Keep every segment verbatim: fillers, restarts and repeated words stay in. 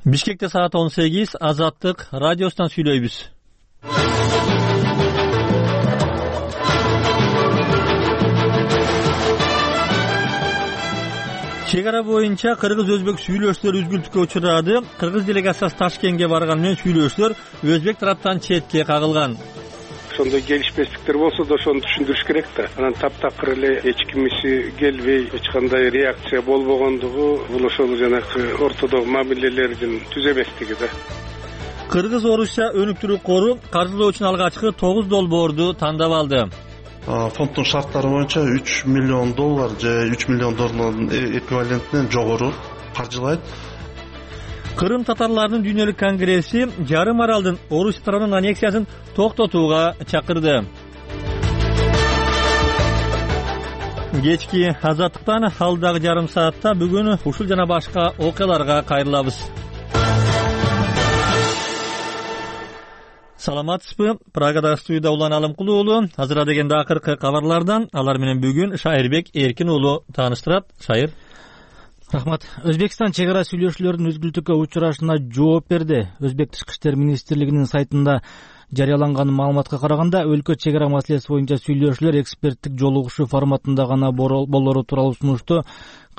Бишкекте саат он сегиз, Азаттык радиосунан сүйлөйбүз. Чек ара боюнча кыргыз-өзбек сүйлөшүүлөр үзгүлтүккө учурады. Кыргыз делегациясы Ташкентке барган менен сүйлөшүүлөр өзбек тараптан четке кагылган. Ошондой келишпестиктер болсо да ошону түшүндүрүш керек да. Анан таптакыр эле эч кимиси келбей, эч кандай реакция болбогондугу бул ошол жанагы ортодогу мамилелердин түз эместиги да. Кыргыз-Орусия өнүктүрүү кору каржылоо үчүн алгачкы тогуз долбоорду тандап алды. Фонддун шарттары боюнча үч миллион доллар же үч миллион доллардын эквивалентинен жогору каржылайт. Кырым татарларынын дүйнөлүк конгресси жарым аралдын Орусия тарабынын аннексиясын токтотууга чакырды. Кечки Азаттыктан алдагы жарым саатта бүгүн ушул жана башка окуяларга кайрылабыз. Саламатсызбы? Прагада студияда Улан Алымкулуу уулу. Азыр дегенде акыркы кабарлардан алар менен бүгүн Шайырбек Эркин уулу тааныштырат. Шайыр. Рахмат. Өзбекстан чек ара сүйлөшүүлөрүнүн үзгүлтүккө учурашына жооп берди. Өзбек тышкы иштер министрлигинин сайтында жарыяланган маалыматка караганда, өлкө чек ара маселеси боюнча сүйлөшүүлөр эксперттик жолугушуу форматында гана болору тууралуу сунушту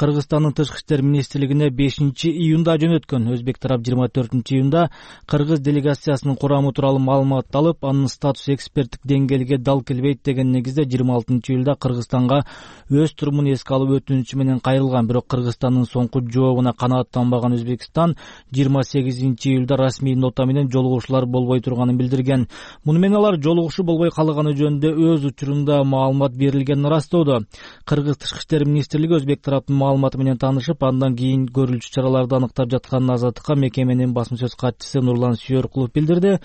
Кыргызстандын тышкы иштер министрлигине бешинчи июнда жөнөткөн. Өзбек тарап жыйырма төртүнчү июнда кыргыз делегациясынын курамы тууралуу маалымат алып, анын статусу эксперттик деңгээлге дал келбейт деген негизде жыйырма алтынчы июлда Кыргызстанга өз турумун эске алуу өтүнүчү менен кайрылган. Бирок Кыргызстандын соңку жообуна канааттанбаган Өзбекстан жыйырма сегизинчи июлда расмий нота менен жолугушуулар болбой турганын билдирген. Муну менен алар жолугушуу болбой калганы жөнүндө өз учурунда маалымат берилгенин ырастоодо. Кыргыз тышкы иштер министрлиги Өзбек тараптын маалыматы менен таанышып, андан кийин көрүлчү чараларды аныктап жатканын Азаттыкка мекеменин басма сөз катчысы Нурлан Сүйөркулов билдирди.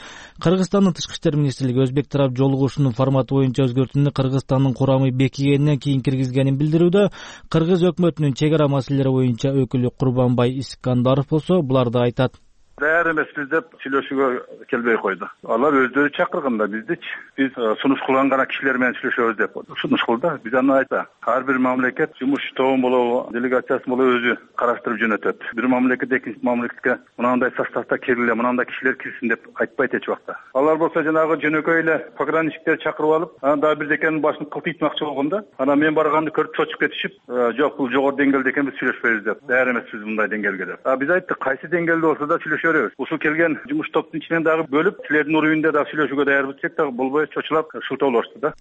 Кыргызстандын тышкы иштер министрлиги Өзбек тарап жолугушуунун форматы боюнча өзгөртүүнү Кыргызстандын курамы бекигенинен кийин киргизгенин билдирүүдө. Кыргыз өкмөтүнүн чек ара маселелери боюнча өкүлү Курбанбай Искандаров болсо буларды айтат. Даяр эмеспиз деп сүйлөшүүгө келбей койду. Алар өздөрү чакырган да биздичи. Биз сунуш кылган гана кишилер менен сүйлөшөбүз деп сунуш кылды. Биз аны айта. Ар бир мамлекет жумуш тобун болобу, делегациясын болобу өзү караштырып жөнөтөт. Бир мамлекет экинчи мамлекетке мынандай составда келгиле, мынандай кишилер кирсин деп айтпайт эч убакта. Алар болсо жанагы жөнөкөй эле пограничниктерди чакырып алып, анан дагы бирдекенин башын кылтыйтмакчы болгондо, анан мен барганды көрүп чочуп кетишип, жок бул жогору деңгээлде экен, биз сүйлөшпөйбүз деп. Даяр эмеспиз мындай деңгээлге деп. А биз айттык, кайсы деңгээлде болсо да сүйлөшөбүз. Ушул келген жумуш топтун ичинен дагы бөлүп, силердин уровеньде дагы сүйлөшүүгө даярбыз десек дагы болбой чочулап шылтоолошду да.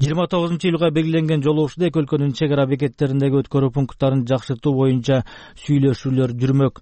жыйырма тогузунчу июлга белгиленген жолугушууда эки өлкөнүн чек ара бекеттериндеги өткөрүү пункттарын жакшыртуу боюнча сүйлөшүүлөр жүрмөк.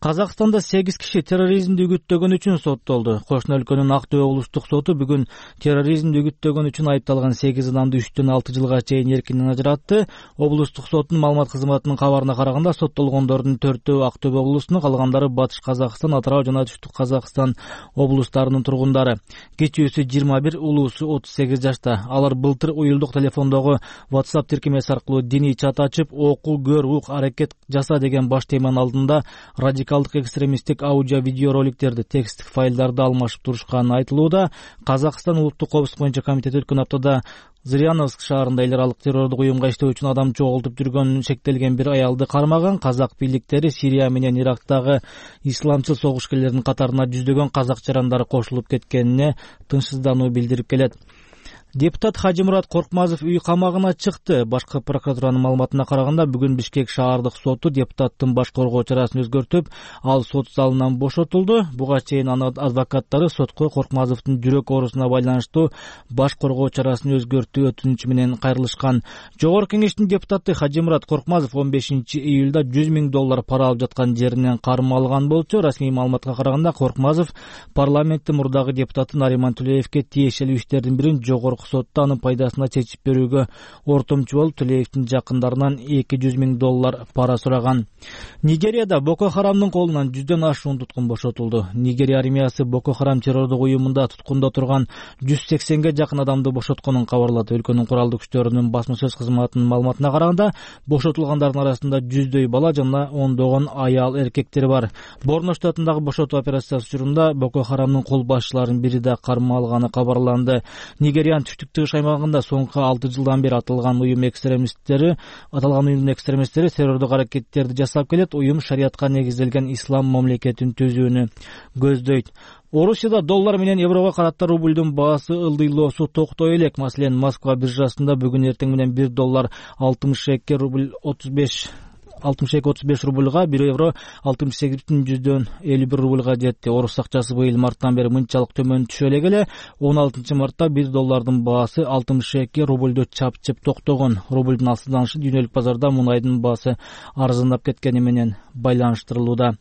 Казакстанда сегиз киши терроризмди үгүттөгөн үчүн соттолду. Кошуна өлкөнүн Ак Дөбө облустук соту бүгүн терроризмди үгүттөгөн үчүн айыпталган сегиз адамды үчтөн алты жылга чейин эркинен ажыратты. Облустук соттун маалымат кызматынын кабарына караганда, соттолгондордун төртөө Ак Дөбө облусунун, калгандары Батыш Казакстан, Атырау жана Түштүк Казакстан облустарынын тургундары. Кичүүсү жыйырма бир, улуусу отуз сегиз жашта. Алар былтыр уюлдук телефондогу WhatsApp тиркемеси аркылуу диний чат ачып, окуу, көр, ук, аракет жаса деген баш теманын алдында радикалдык экстремисттик аудио видео роликтерди, тексттик файлдарды алмашып турушканы айтылууда. Казакстан улуттук коопсуздук боюнча комитети өткөн аптада Зыряновск шаарында эл аралык террордук уюмга иштөө үчүн адам чогултуп жүргөнүн шектелген бир аялды кармаган. Казак бийликтери Сирия менен Ирактагы исламчыл согушкерлердин катарына жүздөгөн казак жарандары кошулуп кеткенине тынчсыздануу билдирип келет. Депутат Хажимурат Коркмазов үй камагына чыкты. Башкы прокуратуранын маалыматына караганда, бүгүн Бишкек шаардык соту депутаттын баш коргоо чарасын өзгөртүп, ал сот залынан бошотулду. Буга чейин анын адвокаттары сотко Коркмазовдун жүрөк оорусуна байланыштуу баш коргоо чарасын өзгөртүү өтүнүчү менен кайрылышкан. Жогорку кеңештин депутаты Хажимурат Коркмазов он бешинчи июлда жүз миң доллар пара алып жаткан жеринен кармалган болчу. Расмий маалыматка караганда, Коркмазов парламенттин мурдагы депутаты Нариман Тулеевке тиешелүү иштердин бирин жогорку сотто анын пайдасына чечип берүүгө ортомчу болуп, Тулеевдин жакындарынан эки жүз миң доллар пара сураган. Нигерияда Боко Харамдын колунан жүздөн ашуун туткун бошотулду. Нигерия армиясы Боко Харам террордук уюмунда туткунда турган жүз сексенге жакын адамды бошотконун кабарлады. Өлкөнүн куралдык күчтөрүнүн басма сөз кызматынын маалыматына караганда, бошотулгандардын арасында жүздөй бала жана ондогон аял эркектер бар. Борно штатындагы бошотуу операциясы учурунда Боко Харамдын кол башчыларынын бири да кармалганы кабарланды. Нигериянын түштүк тыгыш аймагында соңку алты жылдан бери аталган уюм экстремисттери аталган уюмдун экстремисттери террордук аракеттерди жасап келет. Уюм шариятка негизделген ислам мамлекетин түзүүнү көздөйт. Орусияда доллар менен еврого карата рубльдун баасы ылдыйлоосу токтой элек. Маселен, Москва биржасында бүгүн эртең менен бир доллар алтымыш эки рубль отуз беш алтымыш эки отуз беш рубльга, бир евро алтымыш сегиз бүтүн жүздөн элүү бир рубльга жетти. Орус акчасы быйыл марттан бери мынчалык төмөн түшө элек эле. он алтынчы мартта бир доллардын баасы алтымыш эки рубльдө чапчып токтогон. Рубльдун алсызданышы дүйнөлүк базарда мунайдын баасы арзандап кеткени менен байланыштырылууда.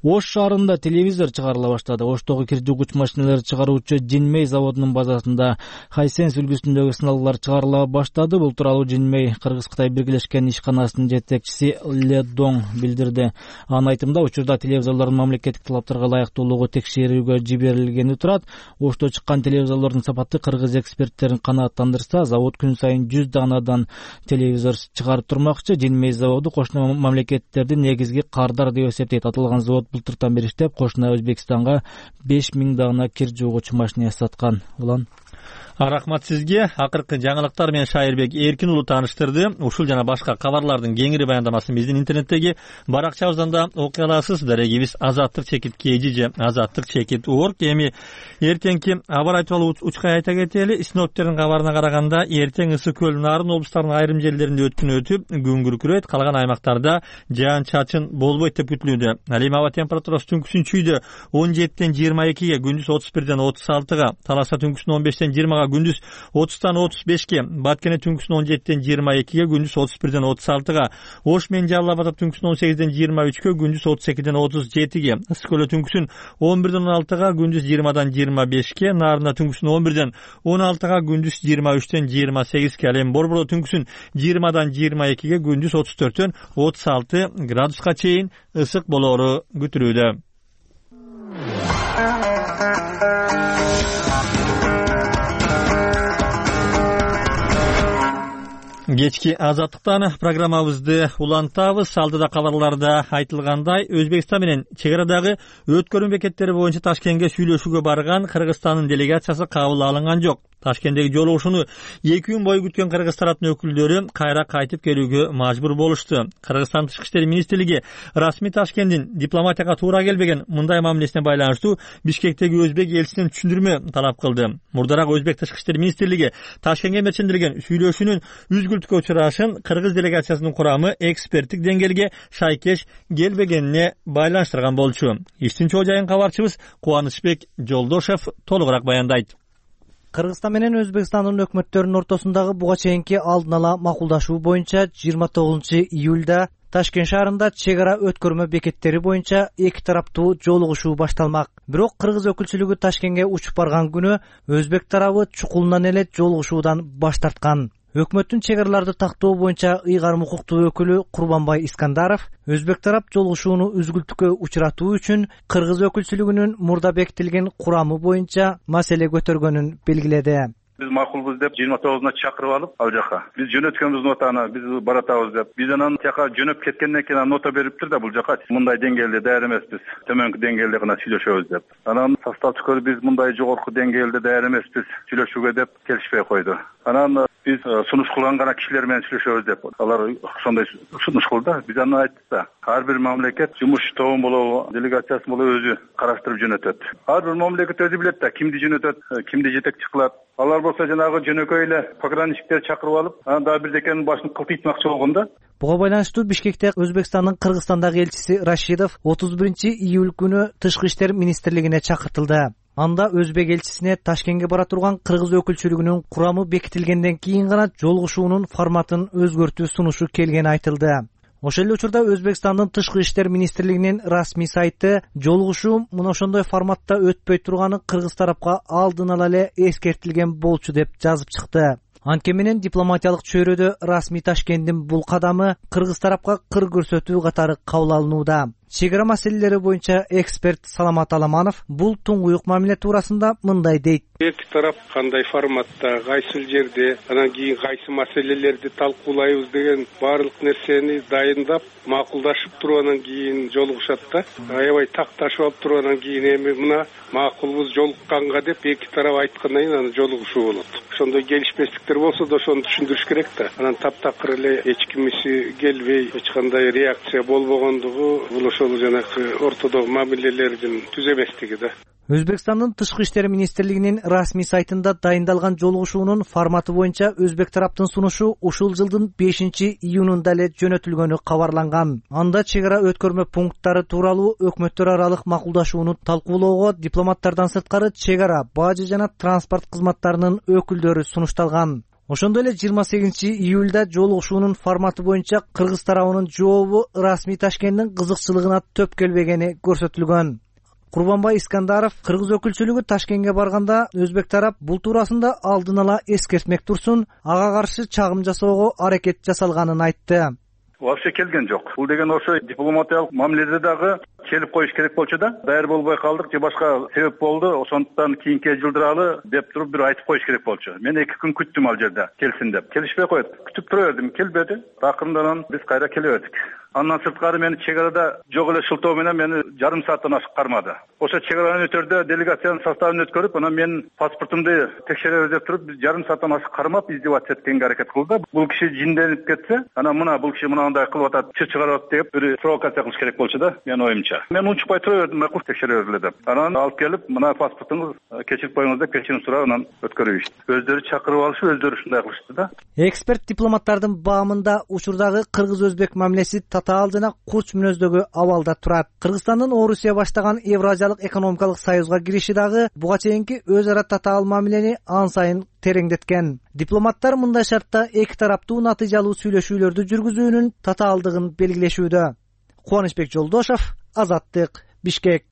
Ош шаарында телевизор чыгарыла баштады. Оштогу кир жугуч машиналар чыгаруучу Жинмей заводунун базасында Хайсенс үлгүсүндөгү сыналгылар чыгарыла баштады. Бул тууралуу Жинмей Кыргыз-Кытай биргелешкен ишканасынын жетекчиси Ле Доң билдирди. Анын айтымында, учурда телевизорлордун мамлекеттик талаптарга ылайыктуулугу текшерүүгө жиберилгени турат. Ошто чыккан телевизорлордун сапаты кыргыз эксперттерин канааттандырса, завод күн сайын жүз данадан телевизор чыгарып турмакчы. Жинмей заводу кошуна мамлекеттердин негизги кардар деп эсептейт. Аталган завод былтыртан бери иштеп, кошуна Өзбекстанга беш миң дана кир жугуучу машина саткан. Улан Рахмат сизге. Акыркы жаңылыктар менен Шайырбек Эркин уулу тааныштырды. Ушул жана башка кабарлардын кеңири баяндамасын биздин интернеттеги баракчабыздан да окуй аласыз. Дарегибиз азаттык чекит kg же азаттык чекит org. Эми эртеңки абар тууралуу учкай айта кетели. Синоптиктердин кабарына караганда, эртең Ысык көл, Нарын облустарынын айрым жерлеринде өткүн өтүп, күн күркүрөйт. Калган аймактарда жаан-чачын болбойт деп күтүлүүдө. Ал эми аба температурасы түнкүсүн чүйдө он жетиден жыйырма экиге, күндүз отуз бирден отуз алтыга, Таласа түнкүсүн он бештен жыйырмага, күндүз отуздан отуз бешке, Баткене түнкүсүн он жетиден жыйырма экиге, күндүз отуз бирден отуз алтыга, Ош менен Жалал Абад түнкүсүн он сегизден жыйырма үчкө, күндүз отуз экиден отуз жетиге, Ысык көл түнкүсүн он бирден он алтыга, күндүз жыйырмадан жыйырма бешке, Нарында түнкүсүн он бирден он алтыга, күндүз жыйырма үчтен жыйырма сегизге, ал эми Борбордо түнкүсүн жыйырмадан жыйырма экиге, күндүз отуз төрттөн отуз алты градуска чейин ысык болоору күтүлүүдө. Кечки азаттыктан программабызды улантабыз. Алдыда кабарларда айтылгандай, Өзбекстан менен чек арадагы өткөрүү бекеттери боюнча Ташкентке сүйлөшүүгө барган Кыргызстандын делегациясы кабыл алынган жок. Ташкенттеги жолугушууну эки күн бою күткөн кыргыз тараптын өкүлдөрү кайра кайтып келүүгө мажбур болушту. Кыргызстан Тышкы иштер министрлиги расмий Ташкенттин дипломатияга туура келбеген мындай мамилесине байланыштуу Бишкектеги өзбек элчисинен түшүндүрмө талап кылды. Мурдараак Өзбек Тышкы иштер министрлиги Ташкентке мерчендирген сүйлөшүүнүн үзгүлтүккө учурашын кыргыз делегациясынын курамы эксперттик деңгээлге шайкеш келбегенине байланыштырган болчу. Иштин чоо жайын кабарчыбыз Кубанычбек Жолдошев толугураак баяндайт. Кыргызстан менен Өзбекстандын өкмөттөрүнүн ортосундагы буга чейинки алдын ала макулдашуу боюнча жыйырма тогузунчу июлда Ташкент шаарында чек ара өткөрмө бекеттери боюнча эки тараптуу жолугушуу башталмак. Бирок кыргыз өкүлчүлүгү Ташкентке учуп барган күнү Өзбек тарабы чукулунан эле жолугушуудан баш тарткан. Өкмөттүн чек араларды тактоо боюнча ыйгарым укуктуу өкүлү Курбанбай Искандаров Өзбек тарап жолугушууну үзгүлтүккө учуратуу үчүн кыргыз өкүлчүлүгүнүн мурда бекитилген курамы боюнча маселе көтөргөнүн белгиледи. Биз макулбуз деп жыйырма тогузуна чакырып алып, ал жака биз жөнөткөнбүз нотаны, биз баратабыз деп. Биз анан жака жөнөп кеткенден кийин нота бериптир да, бул жака мындай деңгээлде даяр эмеспиз, төмөнкү деңгээлде гана сүйлөшөбүз деп. Анан составчы биз мындай жогорку деңгээлде даяр эмеспиз сүйлөшүүгө деп келишпей койду. Анан биз сунуш кылган гана кишилер менен сүйлөшөбүз деп. Алар ошондой сунуш кылды. Биз аны айттык да. Ар бир мамлекет жумуш тобун болобу, делегациясын болобу өзү караштырып жөнөтөт. Ар бир мамлекет өзү билет да, кимди жөнөтөт, кимди жетекчи кылат. Алар болсо жанагы жөнөкөй эле пограничниктер чакырып алып, анан дагы бирдекенин башын кылтыйтмакчы болгон да. Буга байланыштуу Бишкекте Өзбекстандын Кыргызстандагы элчиси Рашидов отуз биринчи июль күнү Тышкы иштер министрлигине чакыртылды. Анда Өзбек элчисине Ташкентке бара турган кыргыз өкүлчүлүгүнүн курамы бекитилгенден кийин гана жолугушуунун форматын өзгөртүү сунушу келгени айтылды. Ошол эле учурда Өзбекстандын Тышкы иштер министрлигинин расмий сайты жолугушуу мына ошондой форматта өтпөй турганы кыргыз тарапка алдын ала эле эскертилген болчу деп жазып чыкты. Анткени менен дипломатиялык чөйрөдө расмий Ташкенттин бул кадамы кыргыз тарапка кыр көрсөтүү катары кабыл алынууда. чек ара маселелери боюнча эксперт Саламат Аламанов бул туңгуюк мамиле туурасында мындай дейт. Эки тарап кандай форматта, кайсыл жерде, анан кийин кайсы маселелерди талкуулайбыз деген баардык нерсени дайындап, макулдашып туруп анан кийин жолугушат да. Аябай такташып алып туруп анан кийин эми мына макулбуз жолукканга деп эки тарап айткандан кийин анан жолугушуу болот. Ошондой келишпестиктер болсо да ошону түшүндүрүш керек да. Анан таптакыр эле эч кимиси келбей, эч кандай реакция болбогондугу бул ошол жанакы ортодогу мамилелердин түз эместиги да. Өзбекстандын Тышкы иштер министрлигинин расмий сайтында дайындалган жолугушуунун форматы боюнча өзбек тараптын сунушу ушул жылдын бешинчи июнунда эле жөнөтүлгөнү кабарланган. Анда чек ара өткөрмө пункттары тууралуу өкмөттөр аралык макулдашууну талкуулоого дипломаттардан сырткары чек ара, бажы жана транспорт кызматтарынын өкүлдөрү сунушталган. Ошондой эле жыйырма сегизинчи июлда жолугушуунун форматы боюнча Кыргыз тарабынын жообу расмий Ташкенттин кызыкчылыгына төп келбегени көрсөтүлгөн. Курбанбай Искандаров Кыргыз өкүлчүлүгү Ташкентке барганда өзбек тарап бул туурасында алдын ала эскертмек турсун, ага каршы чагым жасоого аракет жасалганын айтты. Вообще келген жок. Бул деген ошо дипломатиялык мамиледе дагы келип коюш керек болчу да. Дайыр болбой калдык же башка себеп болду. Ошондуктан кийинке жылдыралы деп туруп бир айтып коюш керек болчу. Мен эки күн күттүм ал жерде келсин деп. Келишпей коет. Күтүп тура бердим, келбеди. Акырындан биз кайра келе бердик. Андан сырткары мени чек арада жок эле шылтоо менен мени жарым сааттан ашык кармады. Ошо чек аранын өтөрдө делегациянын составын өткөрүп, анан менин паспортумду текшеребиз деп туруп, биз жарым сааттан ашык кармап издеваться эткенге аракет кылды. Бул киши жинденип кетсе, анан мына бул киши мынандай кылып атат, чыр чыгарып атат деп бир провокация кылыш керек болчу да, менин оюмча. Мен унчукпай тура бердим, макул текшере бергиле деп. Анан алып келип, мына паспортуңуз кечирип коюңуз деп кечирим сурап анан өткөрүп ишти. Өздөрү чакырып алышып, өздөрү ушундай кылышты да. Эксперт дипломаттардын баамында учурдагы кыргыз-өзбек мамилеси татаал жана курч мүнөздөгү абалда турат. Кыргызстандын Орусия баштаган Евразиялык экономикалык союзга кириши дагы буга чейинки өз ара татаал мамилени ан сайын тереңдеткен. Дипломаттар мындай шартта эки тараптуу натыйжалуу сүйлөшүүлөрдү жүргүзүүнүн татаалдыгын белгилешүүдө. Кубанычбек Жолдошов, Азаттык, Бишкек.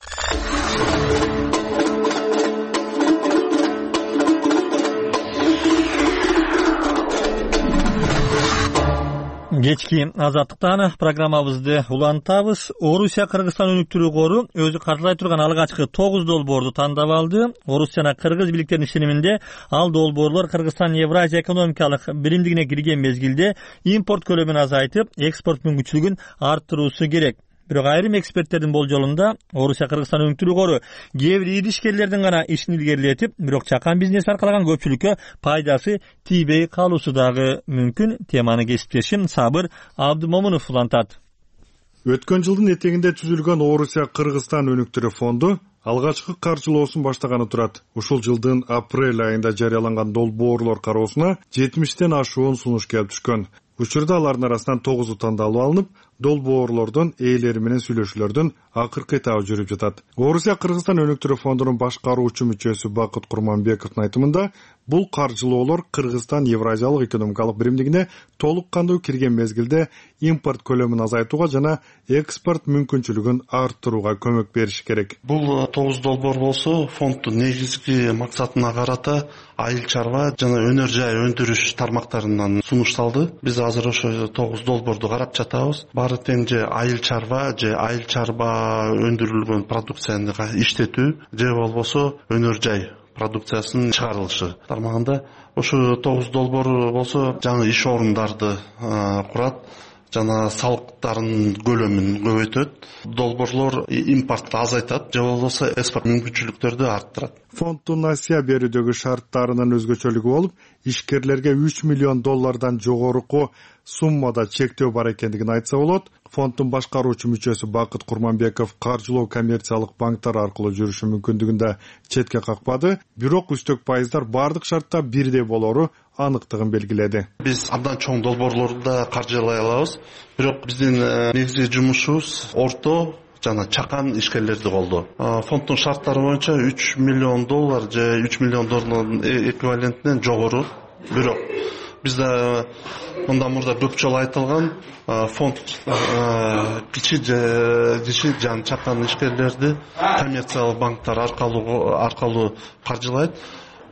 Кечки Азаттыктан программабызды улантабыз. Орусия Кыргызстан өнүктүрүү кору өзү каржылай турган алгачкы тогуз долбоорду тандап алды. Орус жана кыргыз бийликтеринин ишениминде ал долбоорлор Кыргызстан Евразия экономикалык биримдигине кирген мезгилде импорт көлөмүн азайтып, экспорт мүмкүнчүлүгүн арттыруусу керек. Бирок айрым эксперттердин болжолунда Орусия Кыргызстан өнүктүрүү кору кээ бир ири ишкерлердин гана ишин илгерилетип, бирок чакан бизнес аркалаган көпчүлүккө пайдасы тийбей калуусу дагы мүмкүн. Теманы кесиптешим Сабыр Абдымомунов улантат. Өткөн жылдын этегинде түзүлгөн Орусия Кыргызстан өнүктүрүү фонду алгачкы каржылоосун баштаганы турат. Ушул жылдын апрель айында жарыяланган долбоорлор кароосуна жетимиштен ашуун сунуш келип түшкөн. Учурда алардын арасынан тогузу тандалып алынып, долбоорлордун ээлери менен сүйлөшүүлөрдүн акыркы этабы жүрүп жатат. Орусия Кыргызстан өнүктүрүү фондунун башкаруучу мүчөсү Бакыт Курманбековдун айтымында, бул каржылоолор Кыргызстан Евразиялык экономикалык биримдигине толук кандуу кирген мезгилде импорт көлөмүн азайтууга жана экспорт мүмкүнчүлүгүн арттырууга көмөк бериши керек. Бул тогуз долбоор болсо, фонддун негизги максатына карата айыл чарба жана өнөр жай өндүрүш тармактарынан сунушталды. Биз азыр ошо тогуз долбоорду карап жатабыз. Баары тең же айыл чарба, же айыл чарба өндүрүлгөн продукцияны иштетүү, же болбосо өнөр жай продукциясынын чыгарылышы тармагында. Ошо тогуз долбоор болсо жаңы иш орундарды курат жана салыктардын көлөмүн көбөйтөт. Долбоорлор импортты азайтат, же болбосо экспорт мүмкүнчүлүктөрдү арттырат. Фонддун насыя берүүдөгү шарттарынын өзгөчөлүгү болуп, ишкерлерге үч миллион доллардан жогоруку суммада чектөө бар экендигин айтса болот. Фонддун башкаруучу мүчөсү Бакыт Курманбеков каржылоо коммерциялык банктар аркылуу жүрүшү мүмкүндүгүн да четке какпады, бирок үстөк пайыздар бардык шартта бирдей болору аныктыгын белгиледи. Биз абдан чоң долбоорлорду да каржылай алабыз, бирок биздин негизги жумушубуз орто жана чакан ишкерлерди колдоо. Фонддун шарттары боюнча үч миллион доллар же үч миллион доллардын эквивалентинен жогору. Бирок бизде мындан мурда көп жолу айтылган, фонд кичи же кичи жана чакан ишкерлерди коммерциялык банктар аркылуу аркылуу каржылайт.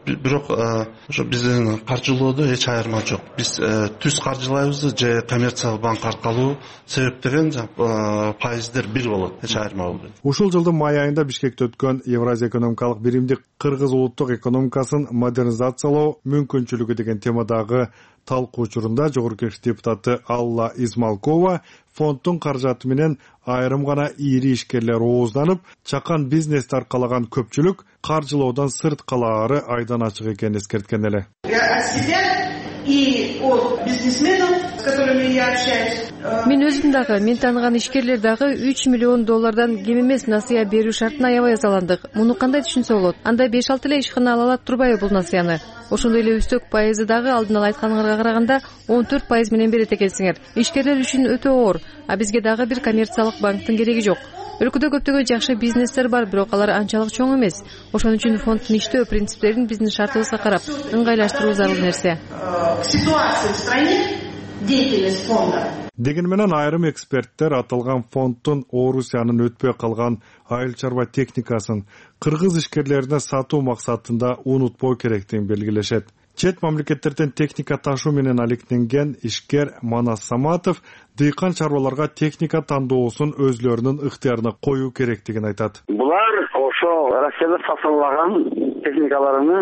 бирок ошо биздин каржылоодо эч айырма жок. Биз түз каржылайбыз же коммерциялык банк аркылуу, себеп деген пайыздер бир болот, эч айырма болбойт. Ушул жылдын май айында Бишкекте өткөн Евразия экономикалык биримдик кыргыз улуттук экономикасын модернизациялоо мүмкүнчүлүгү деген темадагы талкуу учурунда жогорку кеңеш депутаты Алла Измалкова фонддун каражаты менен айрым гана ири ишкерлер оозданып, чакан бизнести аркалаган көпчүлүк каржылоодон сырт калаары айдан ачык экенин эскерткен эле. Мен өзүм дагы, мен тааныган ишкерлер дагы үч миллион доллардан кем эмес насыя берүү шартына аябай ызаландык. Муну кандай түшүнсө болот? Анда беш алты эле ишкана ала алат турбайбы бул насыяны? Ошондой эле үстөк пайызы дагы алдын ала айтканыңарга караганда он төрт пайыз менен берет экенсиңер. Ишкерлер үчүн өтө оор, а бизге дагы бир коммерциялык банктын кереги жок. Өлкөдө көптөгөн жакшы бизнестер бар, бирок алар анчалык чоң эмес. Ошон үчүн фонддун иштөө принциптерин биздин шартыбызга карап ыңгайлаштыруу зарыл нерсе. Деген менен айрым эксперттер аталган фонддун Орусиянын өтпөй калган айыл чарба техникасын кыргыз ишкерлерине сатуу максатында унутпоо керектигин белгилешет. Чет мамлекеттерден техника ташуу менен алектенген ишкер Манас Саматов дыйкан чарбаларга техника тандоосун өзлөрүнүн ыктыярына коюу керектигин айтат. Булар ошо Россияда сатылган техникаларыны,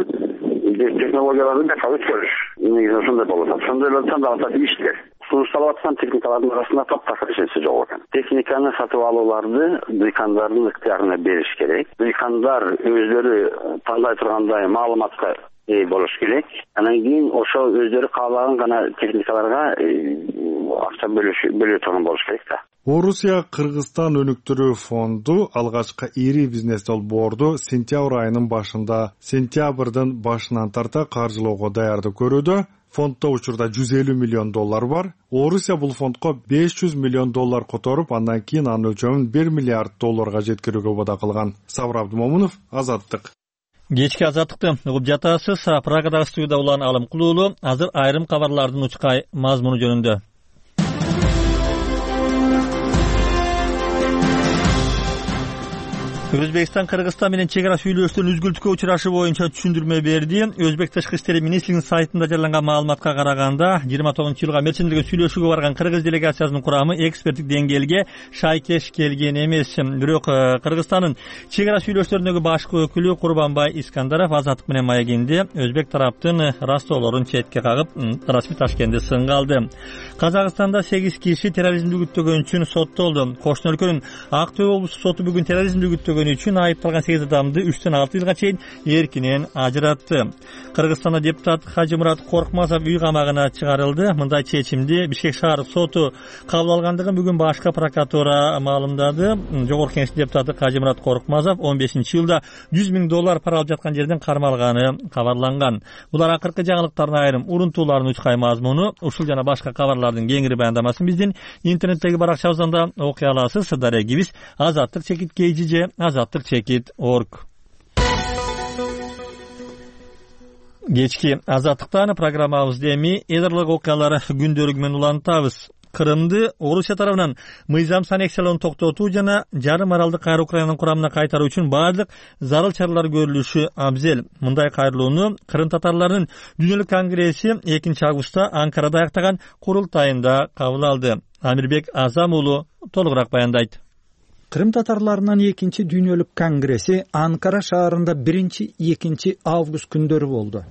технологияларды бекал өткөрүш. Негизи ошондой болот. Ошондой эле тандалат иштер. Сунушталып аткан техникалардын арасында таптакыр эчеси жок экен. Техниканы сатып алууларды дыйкандардын ыктыярына бериш керек. Дыйкандар өзлөрү тандай тургандай маалыматка ээ болуш керек. Анан кийин ошо өздөрү каалаган гана техникаларга акча бөлүү турган болуш керек да. Орусия Кыргызстан өнүктүрүү фонду алгачкы ири бизнес долбоорду сентябрь айынын башында, сентябрдын башынан тарта каржылоого даярдык көрүүдө. Фонддо учурда жүз элүү миллион доллар бар. Орусия бул фондко беш жүз миллион доллар которуп, андан кийин анын өлчөмүн бир миллиард долларга жеткирүүгө убада кылган. Сабыр Абдымомунов, Азаттык. Кечки азаттыкты угуп жатасыз. Прагадагы студияда улан Алым Кулуулу. Азыр айрым кабарлардын учкай мазмуну жөнүндө. Өзбекстан Кыргызстан менен чек ара сүйлөшүүнүн үзгүлтүккө учурашы боюнча түшүндүрмө берди. Өзбек тышкы иштери министрлигинин сайтында жарыяланган маалыматка караганда, жыйырма тогузунчу жылга мерчимдирген сүйлөшүүгө барган кыргыз делегациясынын курамы эксперттик деңгээлге шайкеш келген эмес. Бирок Кыргызстандын чек ара сүйлөшүүлөрүндөгү башкы өкүлү Курбанбай Искандаров Азаттык менен маегинде өзбек тараптын растоолорун четке кагып, расмий Ташкентте сынга алды. Казакстанда сегиз киши терроризмди күттөгөн үчүн соттолду. Кошуна өлкөнүн Ак Төө облустук соту бүгүн терроризмди күттөгөн үчүн айыпталган сегиз адамды үчтөн алты жылга чейин эркинен ажыратты. Кыргызстанда депутат Хажымурат Коркмазов үй камагына чыгарылды. Мындай чечимди Бишкек шаар соту кабыл алгандыгын бүгүн башкы прокуратура маалымдады. Жогорку кеңеш депутаты Хажымурат Коркмазов он бешинчи жылда жүз миң доллар пара алып жаткан жерден кармалганы кабарланган. Булар акыркы жаңылыктардын айрым урунтууларын учкай мазмуну. Ушул жана башка кабарлардын кеңири баяндамасын биздин интернеттеги баракчабыздан да окуй аласыз. Дарегибиз азаттык чекит kgj азаттык чекит орг. Кечки азаттыктан программабызды эми эдарлык окуялар күндөлүгү менен улантабыз. Кырымды Орусия тарабынан мыйзамсыз аннексиялоону токтотуу жана жарым аралды кайра Украинанын курамына кайтаруу үчүн баардык зарыл чаралар көрүлүшү абзел. Мындай кайрылууну Кырым татарларынын Дүйнөлүк конгресси экинчи августта Анкарада аяктаган курултайында кабыл алды. Амирбек Азам уулу толугураак баяндайт. Кырым татарларынын экинчи Дүйнөлүк конгресси Анкара шаарында биринчи экинчи август күндөрү болду.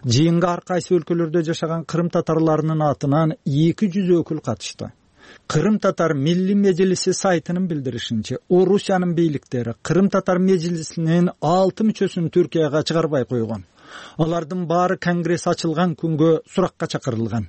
Жыйынга ар кайсы өлкөлөрдө жашаган кырым татарларынын атынан эки жүз өкүл катышты. Кырым татар Милли Мejlisi сайтынын билдиришинче, Орусиянын бийликтери Кырым татар мejlisинин алты мүчөсүн Түркияга чыгарбай койгон. Алардын баары конгресс ачылган күнгө суракка чакырылган.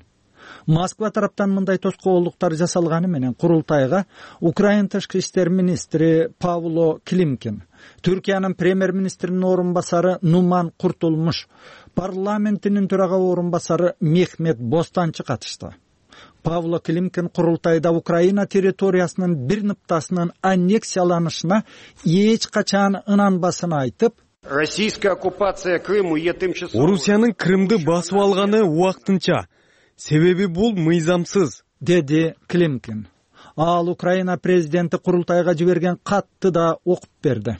Москва тараптан мындай тоскоолдуктар жасалганы менен курултайга Украина тышкы иштер министри Павло Климкин, Түркиянын премьер-министринин орун басары Нуман Куртулмуш, парламентинин төрага орун басары Мехмет Бостанчы катышты. Павло Климкин курултайда Украина территориясынын бир ныктасынын аннексияланышына эч качан ынанбасын айтып, Российская оккупация Крыма е тымчасовой. Орусиянын Крымды басып алганы убактынча. Себеби бул мыйзамсыз, деди Климкин. Ал Украина президенти курултайга жиберген катты да окуп берди.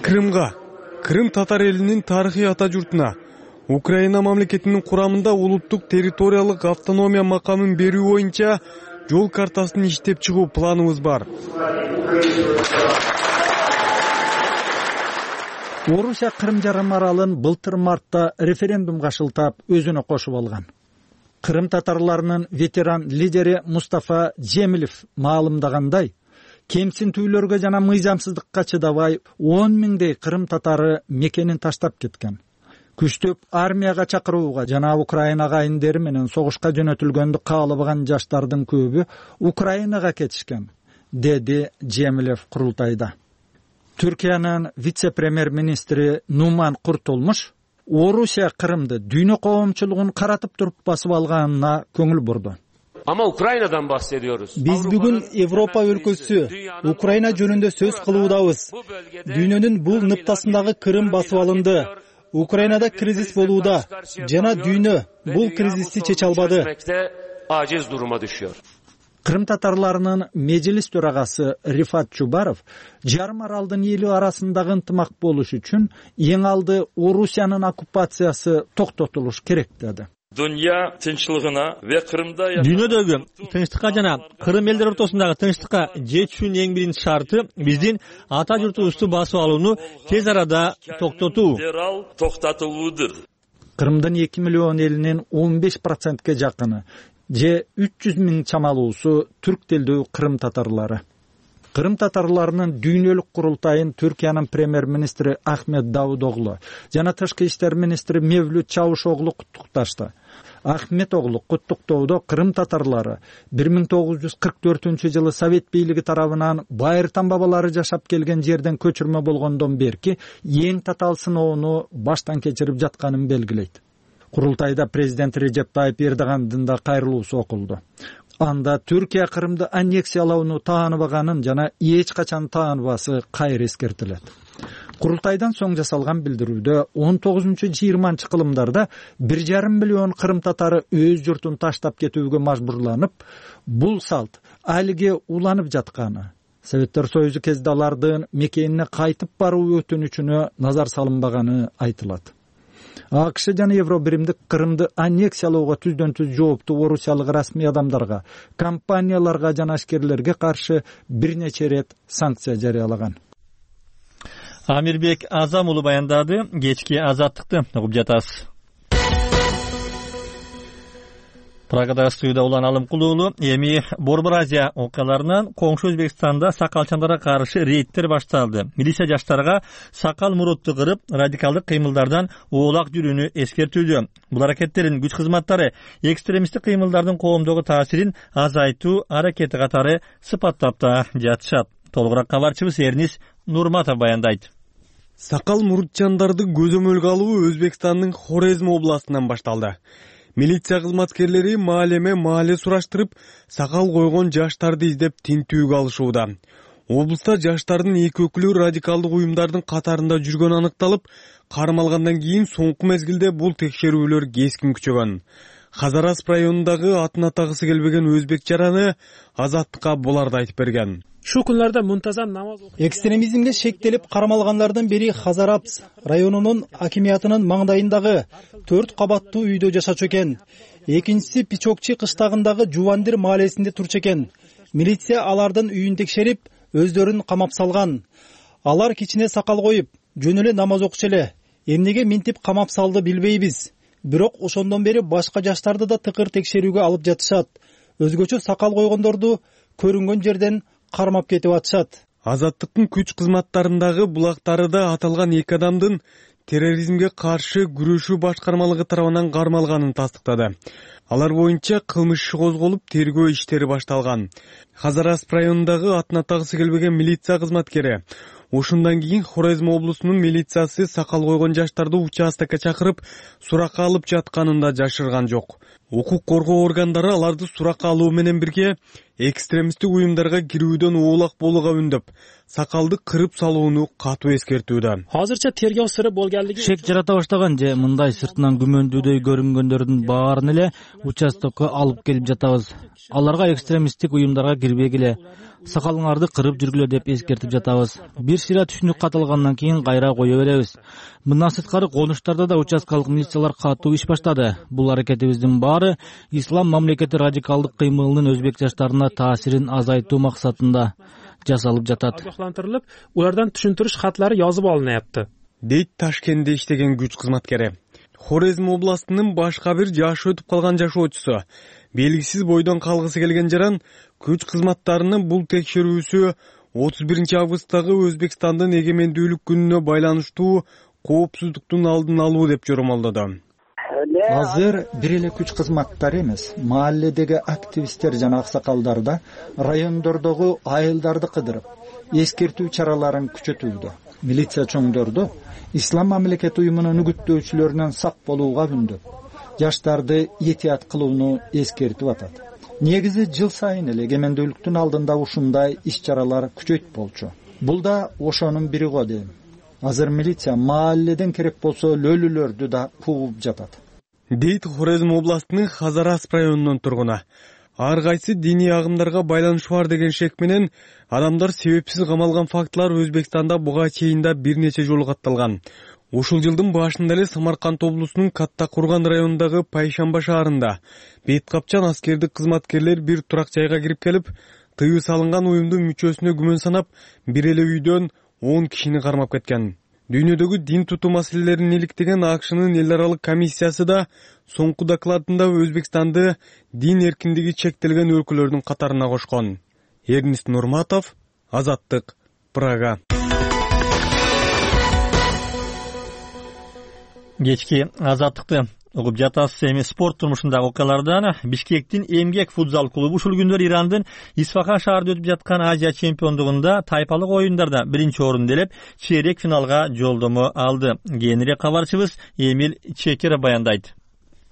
Крымга Крым татар элинин тарыхый ата журтуна Украина мамлекетинин курамында улуттук территориялык автономия макамын берүү боюнча жол картасын иштеп чыгуу планыбыз бар. Орусия Кырым жарым аралын былтыр мартта референдумга шылтап өзүнө кошуп алган. Кырым татарларынын ветеран лидери Мустафа Жемилев маалымдагандай, кемсинтүүлөргө жана мыйзамсыздыкка чыдабай он миңдей кырым татары мекенин таштап кеткен. Күчтөп армияга чакырууга жана Украина айындары менен согушка жөнөтүлгөндү каалабаган жаштардын көбү Украинага кетишкен, деди Жемилев курултайда. Түркиянын вице-премьер-министри Нуман Куртулмуш Орусия Кырымды дүйнө коомчулугун каратып туруп басып алганына көңүл бурду. Ama Ukrayna'dan bahsediyoruz. Biz bugün Avrupa өлкөсү Украина жөнүндө сөз кылуудабыз. Дүйнөнүн бул ныктасындагы Кырым басып алынды. Украинада кризис болууда жана дүйнө бул кризисти чече албады. Aciz duruma düşüyor. Кырым татарларынын межлис төрагасы Рифат Чубаров жарым аралдын эли арасындагы ынтымак болуш үчүн эң алды Орусиянын оккупациясы токтотулуш керек деди. Dünya tinçligine ve Kırım'da Dünyadagi tinchlikka jana Kırım elleri ortasındagi tinchlikka жетүүнүн эң биринчи шарты биздин ата журтубузду басып алууну тез арада токтотуу. Кырымдын эки миллион элинин он беш процентке жакыны же үч жүз миң чамалуусу түрк телдүү кырым татарлары. Кырым татарларынын дүйнөлүк курултайын Түркиянын премьер-министри Ахмет Давудоглу жана тышкы иштер министри Мевлют Чавушоглу куттукташты. Ахмет оглу куттуктоодо кырым татарлары бир миң тогуз жүз кырк төртүнчү жылы Совет бийлиги тарабынан байыртан бабалары жашап келген жерден көчүрмө болгондон берки эң татаал сыноону баштан кечирип жатканын белгилейт. Курултайда президент Режеп Тайып Эрдогандын да кайрылуусу окулду. Анда Түркия Кырымды аннексиялоону тааныбаганын жана эч качан тааныбасы кайра эскертилет. Курултайдан соң жасалган билдирүүдө он тогузунчу жыйырманчы кылымдарда бир жарым миллион кырым татары өз журтун таштап кетүүгө мажбурланып, бул салт алиге уланып жатканы, Советтер Союзу кезинде алардын мекенине кайтып баруу өтүнүчүнө назар салынбаганы айтылат. АКШ жана Евробиримдик Кырымды аннексиялоого түздөн түз жооптуу орусиялык расмий адамдарга, компанияларга жана ашкерлерге каршы бир нече ирет санкция жарыялаган. Амирбек Азам уулу баяндады. Кечки азаттыкты угуп жатасыз. Прагада студияда Улан Алымкулуулу. Эми Борбор Азия окуяларынан коңшу Өзбекстанда сакалчандарга каршы рейдтер башталды. Милиция жаштарга сакал мурутту кырып, радикалдык кыймылдардан оолак жүрүүнү эскертүүдө. Бул аракеттерин күч кызматтары экстремисттик кыймылдардын коомдогу таасирин азайтуу аракети катары сыпаттап да жатышат. Толугураак кабарчыбыз Эрнис Нурматов баяндайт. Сакал мурутчандарды көзөмөлгө алуу Өзбекстандын Хорезм областынан башталды. Милиция кызматкерлери маалеме маале сураштырып, сакал койгон жаштарды издеп тинтүүгө алышууда. Облуста жаштардын эки өкүлү радикалдык уюмдардын катарында жүргөнү аныкталып, кармалгандан кийин соңку мезгилде бул текшерүүлөр кескин күчөгөн. Хазарасп районундагы атын атагысы келбеген өзбек жараны Азаттыкка буларды айтып берген. Şu күнлөрдө мунтазам намаз экстремизмге шектелип кармалгандардан бири Хазарапс районунун акимиятынын маңдайындагы төрт кабаттуу үйдө жашачу экен. Экинчиси Пичокчи кыштагындагы Жувандир маалесинде турчу экен. Милиция алардын үйүн текшерип, өздөрүн камап салган. Алар кичине сакал коюп, жөн эле намаз окучу эле. Эмнеге минтип камап салды билбейбиз. Бирок ошондон бери башка жаштарды да тыкыр текшерүүгө алып жатышат. Өзгөчө сакал койгондорду көрүнгөн жерден кармап кетип атышат. Азаттыктын күч кызматтарындагы булактары да аталган эки адамдын терроризмге каршы күрөшүү башкармалыгы тарабынан кармалганын тастыктады. Алар боюнча кылмыш иши козголуп, тергөө иштери башталган. Хазарасп районундагы атын атагысы келбеген милиция кызматкери ошондон кийин Хорезм облусунун милициясы сакал койгон жаштарды участокко чакырып, суракка алып жатканын да жашырган жок. Укук коргоо органдары аларды суракка алуу менен бирге экстремисттик уюмдарга кирүүдөн оолак болууга үндөп, сакалды кырып салууну катуу эскертүүдө. Азырча тергөө сыры болгонлугу шек жарата баштаган же мындай сыртынан күмөндүүдөй көрүнгөндөрдүн баарын эле участокко алып келип жатабыз. аларга экстремисттик уюмдарга кирбегиле, сакалыңарды кырып жүргүлө деп эскертип жатабыз. Бир сыйра түшүнүк катылгандан кийин кайра кое беребиз. Мындан сырткары конуштарда да участкалык милициялар катуу иш баштады. Бул аракетибиздин баары ислам мамлекети радикалдык кыймылынын өзбек жаштарына таасирин азайтуу максатында жасалып жатат. Агыктырылып, улардан түшүндүрүш катлары жазып алынып, дейт Ташкентте иштеген күч кызматкери. Хорезм областынын башка бир жашы өтүп калган жашоочусу белгисиз бойдон калгысы келген жаран күч кызматтарынын бул текшерүүсү отуз биринчи августтагы Өзбекстандын эгемендүүлүк күнүнө байланыштуу коопсуздуктун алдын алуу деп жормолдоду. Азыр бир эле күч кызматтары эмес, маалледеги активисттер жана аксакалдар да райондордогу айылдарды кыдырып, эскертүү чараларын күчөтүүдө. Милиция чоңдорду ислам мамлекети уюмунун үгүттөөчүлөрүнөн сак болууга күндөп, жаштарды этият кылууну эскертип атат. Негизи жыл сайын эле эгемендүүлүктүн алдында ушундай иш-чаралар күчөйт болчу. Бул да ошонун бири го дейм. Азыр милиция маалледен керек болсо лөлүлөрдү да кууп жатат. Дейт Хорезм областынын Хазарас районунун тургуну. Ар кайсы диний агымдарга байланышы бар деген шек менен адамдар себепсиз камалган фактылар Өзбекстанда буга чейин да бир нече жолу катталган. Ушул жылдын башында эле Самарканд облусунун Каттакурган районундагы Пайшамба шаарында бет капчан аскердик кызматкерлер бир турак жайга кирип келип, тыюу салынган уюмдун мүчөсүнө күмөн санап, бир эле үйдөн он кишини кармап кеткен. Дүйнөдөгү дин тутуу маселелерин иликтеген АКШнын эл аралык комиссиясы да соңку докладында Өзбекстанды дин эркиндиги чектелген өлкөлөрдүн катарына кошкон. Эрнист Нурматов, Азаттык, Прага. Кечки Азаттыкты угуп жатасыз. Эми спорт турмушундагы окуялардан Бишкектин Эмгек футзал клубу ушул күндөр Ирандын Исфахан шаарында өтүп жаткан Азия чемпиондугунда тайпалык оюндарда биринчи орунду ээлеп, чейрек финалга жолдомо алды. Кийинирээк кабарчыбыз Эмил Чекер баяндайт.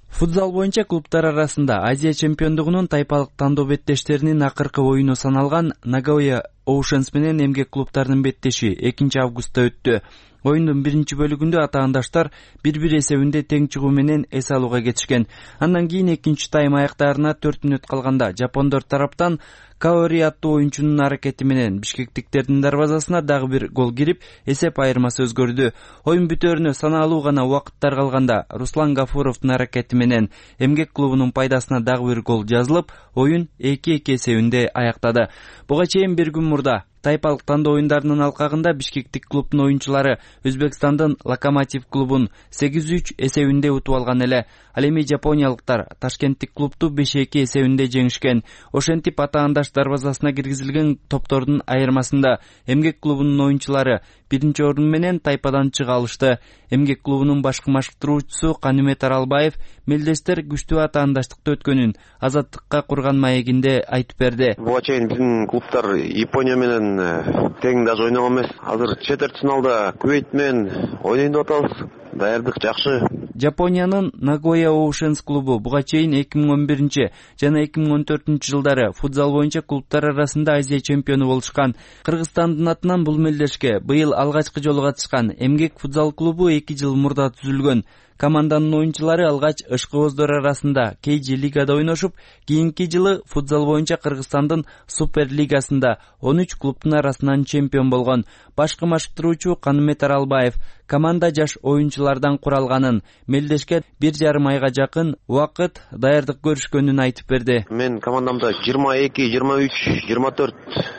Футзал боюнча клубтар арасында Азия чемпиондугунун тайпалык тандоо беттештеринин акыркы оюну саналган Nagoya Oceans менен Эмгек клубтарынын беттеши экинчи августта өттү. Оюндун биринчи бөлүгүндө атаандаштар бир-бир эсебинде тең чыгуу менен эс алууга кетишкен. Андан кийин экинчи тайм аяктаарына төрт мүнөт калганда жапондор тараптан Каори аттуу оюнчунун аракети менен бишкектиктердин дарбазасына дагы бир гол кирип, эсеп айырмасы өзгөрдү. Оюн бүтөөрүнө санаалуу гана убакыттар калганда Руслан Гафуровдун аракети менен Эмгек клубунун пайдасына дагы бир гол жазылып, оюн эки-эки эсебинде аяктады. Буга чейин бир күн мурда тайпалык тандоо оюндарынын алкагында бишкектик клубдун оюнчулары Өзбекстандын Локомотив клубун сегиз үч эсебинде утуп алган эле. Ал эми жапониялыктар Ташкенттик клубду беш эки эсебинде жеңишкен. Ошентип атаандаш дарбазасына киргизилген топтордун айырмасында Эмгек клубунун оюнчулары биринчи орун менен тайпадан чыга алышты. Эмгек клубунун башкы машыктыруучусу Канымет Аралбаев мелдештер күчтүү атаандаштыкты өткөнүн Азаттыкка курган маегинде айтып берди. Буга чейин биздин клубтар Япония менен тең даже ойногон эмес. Азыр четвертьфиналда Кувейт менен ойнойт деп атабыз. Даярдык жакшы. Жапониянын Nagoya Oceans клубу буга чейин эки миң он биринчи жана эки миң он төртүнчү жылдары футзал боюнча клубтар арасында Азия чемпиону болушкан. Кыргызстандын атынан бул мелдешке быйыл алгачкы жолу катышкан Эмгек футзал клубу эки жыл мурда түзүлгөн. Команданын оюнчулары алгач ышкыбоздор арасында Кейжи лигада ойношуп, кийинки жылы футзал боюнча Кыргызстандын Супер лигасында он үч клубтун арасынан чемпион болгон. Башкы машыктыруучу Канымет Аралбаев команда жаш оюнчулардан куралганын, мелдешке бир жарым айга жакын убакыт даярдык көрүшкөнүн айтып берди. Мен командамда жыйырма эки, жыйырма үч, жыйырма төрт,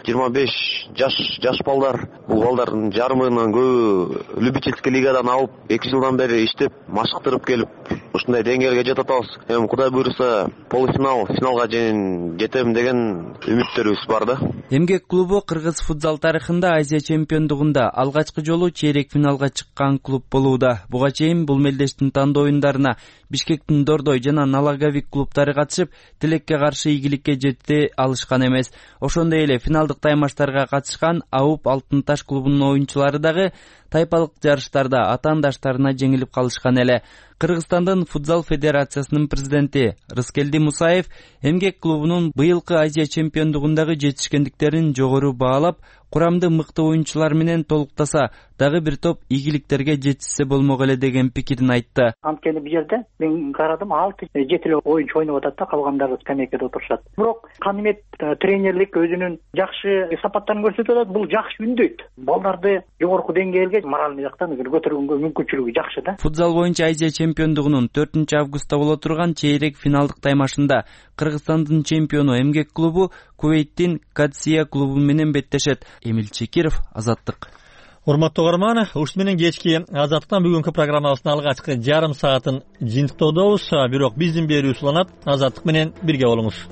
жыйырма беш жаш жаш балдар. Бул балдардын жарымынан көбү любительский лигадан алып, эки жылдан бери иштеп, машыктырып келип, ушундай деңгээлге жетип атабыз. Эми Кудай буйруса, полуфинал, финалга жетем деген үмүттөрүбүз бар да. Эмгек клубу кыргыз футзал тарыхында Азия чемпиондугунда алгачкы жолу чейрек финалга чыккан клуб болууда. Буга чейин бул мелдештин тандоо оюндарына Бишкектин Дордой жана Налагавик клубтары катышып, тилекке каршы ийгиликке жете алышкан эмес. Ошондой эле финалдык таймаштарга катышкан Ауп Алтын Таш клубунун оюнчулары дагы тайпалык жарыштарда атаандаштарына жеңилип калышкан эле. Кыргызстандын футзал федерациясынын президенти Рыскелди Мусаев эмгек клубунун быйылкы Азия чемпиондугундагы жетишкендиктерин жогору баалап, курамды мыкты оюнчулар менен толуктаса, дагы бир топ ийгиликтерге жетишсе болмок эле деген пикирин айтты. Анткени бул жерде мен карадым, алты жети эле оюнчу ойноп атат да, калгандары скамейкада отурушат. Бирок Канимет тренерлик өзүнүн жакшы сапаттарын көрсөтүп атат, бул жакшы үндөйт. Балдарды жогорку деңгээлге моральный жактан көтөргөнгө мүмкүнчүлүгү жакшы да. Футзал боюнча Азия чемпиондугунун төртүнчү августта боло турган чейрек финалдык таймашында Кыргызстандын чемпиону эмгек клубу Кувейттин Кадсия клубу менен беттешет. Эмил Чекиров, Азаттык. Урматтуу угарман, ушун менен кечки Азаттыктан бүгүнкү программабыздын алгачкы жарым саатын жыйынтыктоодобуз. Бирок биздин берүү уланат. Азаттык менен бирге болуңуз.